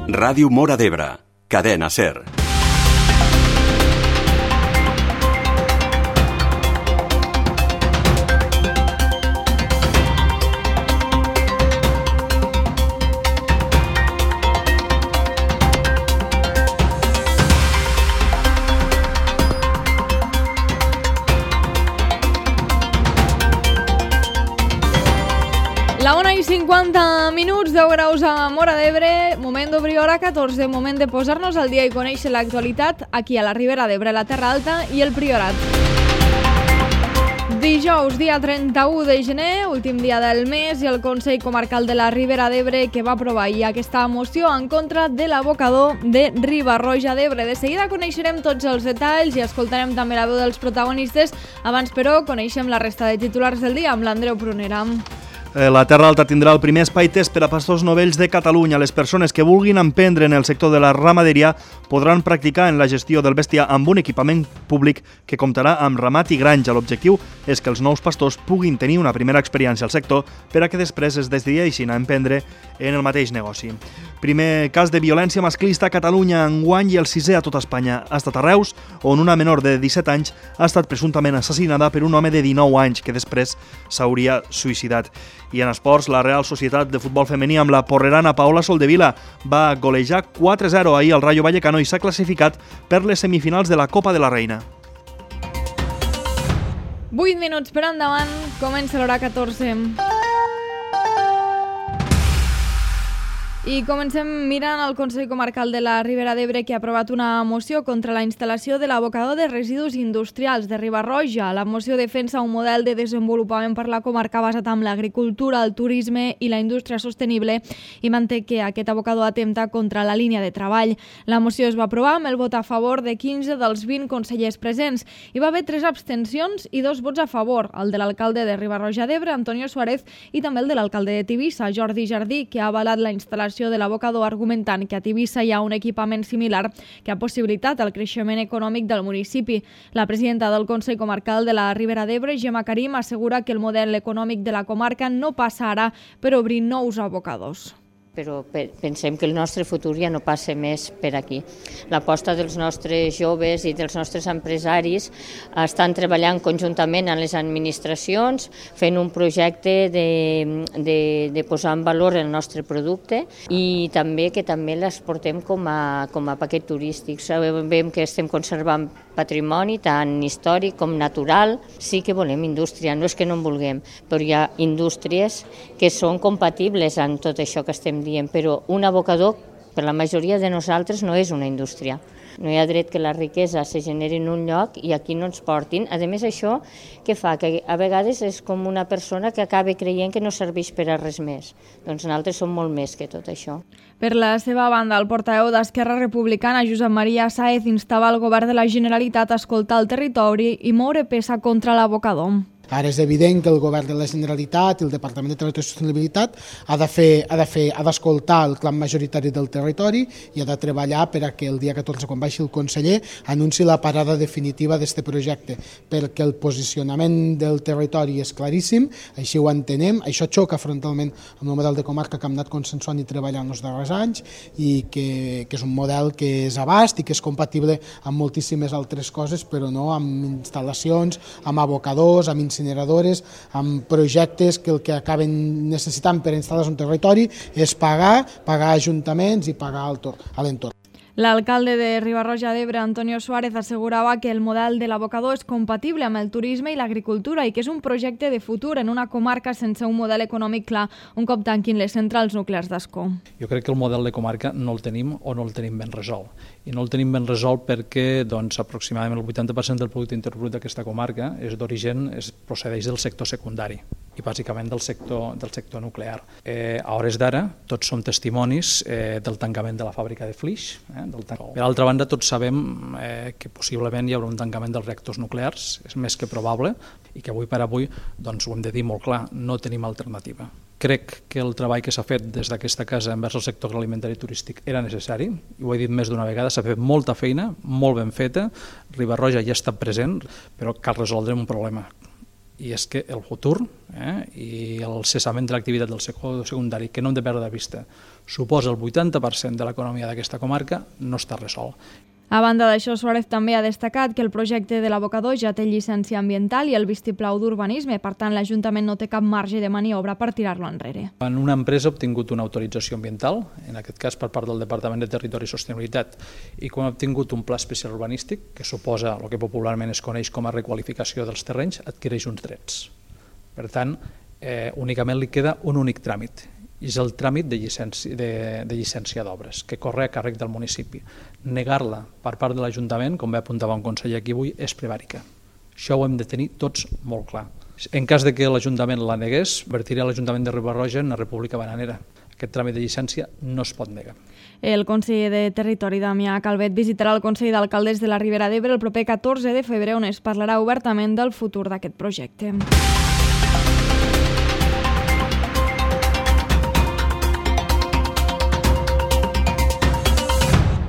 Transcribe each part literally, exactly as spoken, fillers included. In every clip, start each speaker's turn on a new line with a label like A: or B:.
A: Ràdio Móra d'Ebre, Cadena SER.
B: La una i cinquanta minuts, deu graus a Móra d'Ebre, moment d'obrir hora catorze, moment de posar-nos al dia i conèixer l'actualitat aquí a la Ribera d'Ebre, la Terra Alta i el Priorat. Dijous, dia trenta-u de gener, últim dia del mes, i el Consell Comarcal de la Ribera d'Ebre que va aprovar ahir aquesta moció en contra de l'abocador de Riba-roja d'Ebre. De seguida coneixerem tots els detalls i escoltarem també la veu dels protagonistes. Abans, però, coneixem la resta de titulars del dia amb l'Andreu Prunera.
C: La Terra Alta tindrà el primer espai test per a pastors novells de Catalunya. Les persones que vulguin emprendre en el sector de la ramaderia podran practicar en la gestió del bestiar amb un equipament públic que comptarà amb ramat i granja. L'objectiu és que els nous pastors puguin tenir una primera experiència al sector per a que després es decideixin a emprendre en el mateix negoci. Primer cas de violència masclista a Catalunya enguany i el sisè a tot Espanya. Ha estat a Reus, on una menor de disset anys ha estat presumptament assassinada per un home de dinou anys que després s'hauria suïcidat. I en esports, la Real Societat de Futbol Femení amb la porrerana Paola Soldevila va golejar quatre a zero ahir al Rayo Vallecano i s'ha classificat per les semifinals de la Copa de la Reina.
B: vuit minuts per endavant, comença l'hora catorze. I comencem mirant el Consell Comarcal de la Ribera d'Ebre que ha aprovat una moció contra la instal·lació de l'abocador de residus industrials de Riba-roja. La moció defensa un model de desenvolupament per la comarca basat en l'agricultura, el turisme i la indústria sostenible i manté que aquest abocador atempta contra la línia de treball. La moció es va aprovar amb el vot a favor de quinze dels vint consellers presents. Hi va haver tres abstencions i dos vots a favor, el de l'alcalde de Riba-roja d'Ebre, Antonio Suárez, i també el de l'alcalde de Tivissa, Jordi Jardí, que ha avalat la instal·lació de l'abocador argumentant que a Tivissa hi ha un equipament similar que ha possibilitat el creixement econòmic del municipi. La presidenta del Consell Comarcal de la Ribera d'Ebre, Gemma Karim, assegura que el model econòmic de la comarca no passa ara per obrir nous abocadors.
D: Però pensem que el nostre futur ja no passa més per aquí. L'aposta dels nostres joves i dels nostres empresaris estan treballant conjuntament amb les administracions, fent un projecte de, de, de posar en valor el nostre producte i també que també l'exportem com a, com a paquet turístic. Sabem que estem conservant patrimoni tant històric com natural. Sí que volem indústria, no és que no en vulguem, però hi ha indústries que són compatibles amb tot això que estem dient, però un abocador, per la majoria de nosaltres, no és una indústria. No hi ha dret que la riquesa se generi en un lloc i aquí no ens portin. A més, això què fa? Que a vegades és com una persona que acaba creient que no serveix per a res més. Doncs nosaltres som molt més que tot això.
B: Per la seva banda, el portaveu d'Esquerra Republicana, Josep Maria Sáez, instava el govern de la Generalitat a escoltar el territori i moure peça contra l'abocador.
E: Ara és evident que el govern de la Generalitat i el Departament de Territori i Sostenibilitat ha de fer, ha de fer, ha d'escoltar el clam majoritari del territori i ha de treballar per a que el dia catorze, quan baixi el conseller, anunci la parada definitiva d'aquest projecte, perquè el posicionament del territori és claríssim, així ho entenem, això xoca frontalment amb el model de comarca que hem anat consensuant i treballant els darrers anys i que, que és un model que és abast i que és compatible amb moltíssimes altres coses, però no amb instal·lacions, amb abocadors, amb incineradores, amb projectes que el que acaben necessitant per instal·lar-se un territori és pagar, pagar ajuntaments i pagar a l'entorn.
B: L'alcalde de Riba-roja d'Ebre, Antonio Suárez, assegurava que el model de l'abocador és compatible amb el turisme i l'agricultura i que és un projecte de futur en una comarca sense un model econòmic clar un cop tanquin les centrals nuclears d'Ascó.
F: Jo crec que el model de comarca no el tenim o no el tenim ben resolt. I no el tenim ben resolt perquè doncs, aproximadament el vuitanta per cent del producte interior brut d'aquesta comarca és d'origen, procedeix del sector secundari i bàsicament del sector, del sector nuclear. Eh, a hores d'ara, tots som testimonis eh, del tancament de la fàbrica de Flix. Eh, del tan... Per altra banda, tots sabem eh, que possiblement hi haurà un tancament dels reactors nuclears, és més que probable, i que avui per avui doncs, ho hem de dir molt clar, no tenim alternativa. Crec que el treball que s'ha fet des d'aquesta casa envers el sector agroalimentari i turístic era necessari, i ho he dit més d'una vegada, s'ha fet molta feina, molt ben feta, Riba-roja ja està present, però cal resoldre un problema. i és que el futur eh, i el cessament de l'activitat del sector secundari, que no hem de perdre de vista, suposa el vuitanta per cent de l'economia d'aquesta comarca, no està resolt.
B: A banda d'això, Suárez també ha destacat que el projecte de l'abocador ja té llicència ambiental i el vistiplau d'urbanisme, per tant l'Ajuntament no té cap marge de maniobra per tirar-lo enrere.
F: Quan una empresa ha obtingut una autorització ambiental, en aquest cas per part del Departament de Territori i Sostenibilitat, i quan ha obtingut un pla especial urbanístic, que suposa el que popularment es coneix com a requalificació dels terrenys, adquireix uns drets. Per tant, eh, únicament li queda un únic tràmit, i és el tràmit de llicència, de, de llicència d'obres, que corre a càrrec del municipi. Negar-la per part de l'Ajuntament, com bé apuntava un conseller aquí avui, és prevàrica. Això ho hem de tenir tots molt clar. En cas de que l'Ajuntament la negués, vertiria l'Ajuntament de Riba-roja en una república bananera. Aquest tràmit de llicència no es pot negar.
B: El conseller de Territori, Damià Calvet, visitarà el Consell d'Alcaldes de la Ribera d'Ebre el proper catorze de febrer, on es parlarà obertament del futur d'aquest projecte.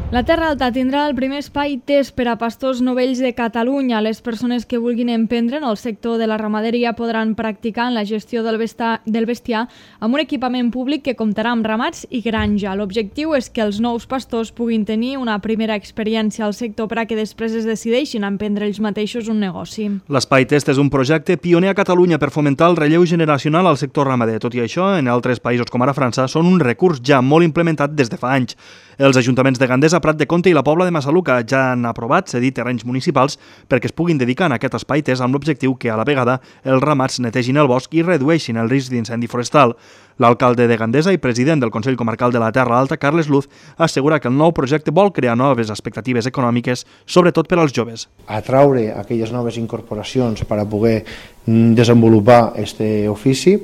B: La Terra Alta tindrà el primer espai test per a pastors novells de Catalunya. Les persones que vulguin emprendre en el sector de la ramaderia podran practicar en la gestió del bestiar, del bestiar amb un equipament públic que comptarà amb ramats i granja. L'objectiu és que els nous pastors puguin tenir una primera experiència al sector per a que després es decideixin a emprendre ells mateixos un negoci.
C: L'Espai Test és un projecte pioner a Catalunya per fomentar el relleu generacional al sector ramader. Tot i això, en altres països com ara França, són un recurs ja molt implementat des de fa anys. Els ajuntaments de Gandesa, Prat de Comte i la Pobla de Massaluca ja han aprovat cedir terrenys municipals perquè es puguin dedicar en aquest espai test amb l'objectiu que a la vegada els ramats netegin el bosc i redueixin el risc d'incendi forestal. L'alcalde de Gandesa i president del Consell Comarcal de la Terra Alta, Carles Luz, assegura que el nou projecte vol crear noves expectatives econòmiques, sobretot per als joves.
G: Atraure aquelles noves incorporacions per a poder desenvolupar aquest ofici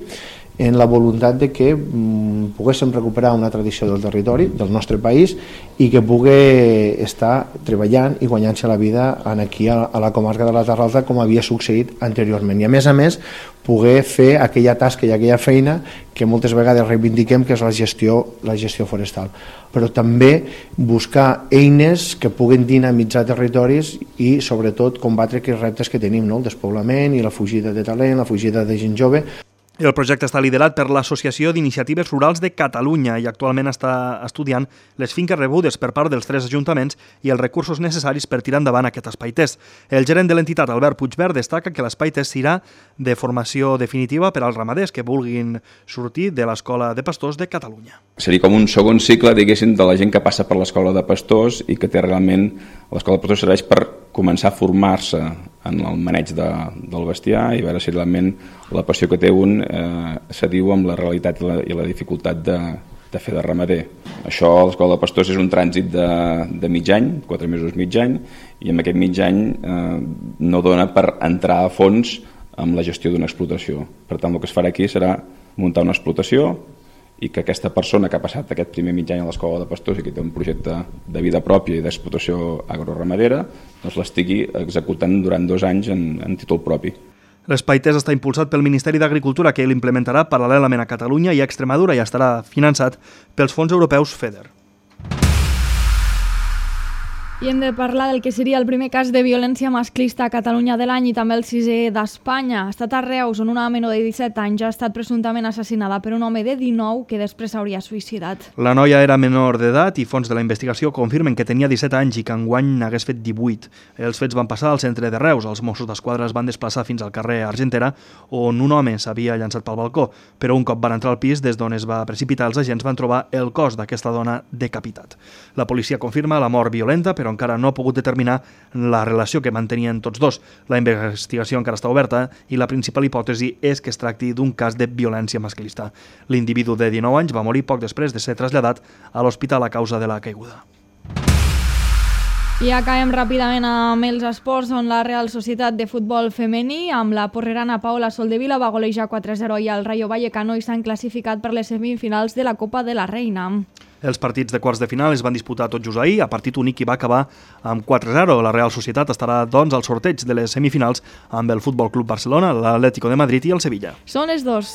G: en la voluntat de que mm, poguéssim recuperar una tradició del territori, del nostre país, i que pugui estar treballant i guanyant-se la vida aquí a, a la comarca de la Terra Alta com havia succeït anteriorment. I a més a més, poder fer aquella tasca i aquella feina que moltes vegades reivindiquem, que és la gestió, la gestió forestal. Però també buscar eines que puguin dinamitzar territoris i sobretot combatre aquests reptes que tenim, no? El despoblament i la fugida de talent, la fugida de gent jove.
C: El projecte està liderat per l'Associació d'Iniciatives Rurals de Catalunya i actualment està estudiant les finques rebudes per part dels tres ajuntaments i els recursos necessaris per tirar endavant aquest espai test. El gerent de l'entitat, Albert Puigverd, destaca que l'espai test serà de formació definitiva per als ramaders que vulguin sortir de l'Escola de Pastors de Catalunya.
H: Seria com un segon cicle, diguéssim, de la gent que passa per l'Escola de Pastors i que té realment... L'Escola de Pastors serveix per començar a formar-se en el maneig de, del bestiar i veure si realment la passió que té un eh, s'adiu amb la realitat i la, i la dificultat de, de fer de ramader. Això, l'Escola de Pastors és un trànsit de, de mig any, quatre mesos mig any, i en aquest mig any eh, no dona per entrar a fons amb la gestió d'una explotació. Per tant, el que es farà aquí serà muntar una explotació i que aquesta persona que ha passat aquest primer mig any a l'Escola de Pastors i que té un projecte de vida pròpia i d'explotació agroramadera, doncs l'estigui executant durant dos anys en, en títol propi.
C: L'espai test està impulsat pel Ministeri d'Agricultura, que l'implementarà paral·lelament a Catalunya i a Extremadura i estarà finançat pels fons europeus FEDER.
B: I hem de parlar del que seria el primer cas de violència masclista a Catalunya de l'any i també el sisè d'Espanya. Ha estat a Reus, on una menor de disset anys ha estat presumptament assassinada per un home de dinou que després s'hauria suïcidat.
C: La noia era menor d'edat i fons de la investigació confirmen que tenia disset anys i que enguany n'hagués fet divuit. Els fets van passar al centre de Reus. Els Mossos d'Esquadra es van desplaçar fins al carrer Argentera, on un home s'havia llançat pel balcó, però un cop van entrar al pis des d'on es va precipitar, els agents van trobar el cos d'aquesta dona decapitat. La policia confirma la mort violenta, però encara no ha pogut determinar la relació que mantenien tots dos. La investigació encara està oberta i la principal hipòtesi és que es tracti d'un cas de violència masclista. L'individu de dinou anys va morir poc després de ser traslladat a l'hospital a causa de la caiguda.
B: I acabem ràpidament amb els esports, on la Real Societat de Futbol Femení amb la porrerana Paola Soldevila va golejar quatre a zero i el Rayo Vallecano i s'han classificat per les semifinals de la Copa de la Reina.
C: Els partits de quarts de final es van disputar tot just ahir, a partit únic i va acabar amb quatre a zero. La Real Societat estarà, doncs, al sorteig de les semifinals amb el Futbol Club Barcelona, l'Atlético de Madrid i el Sevilla.
B: Són les dos.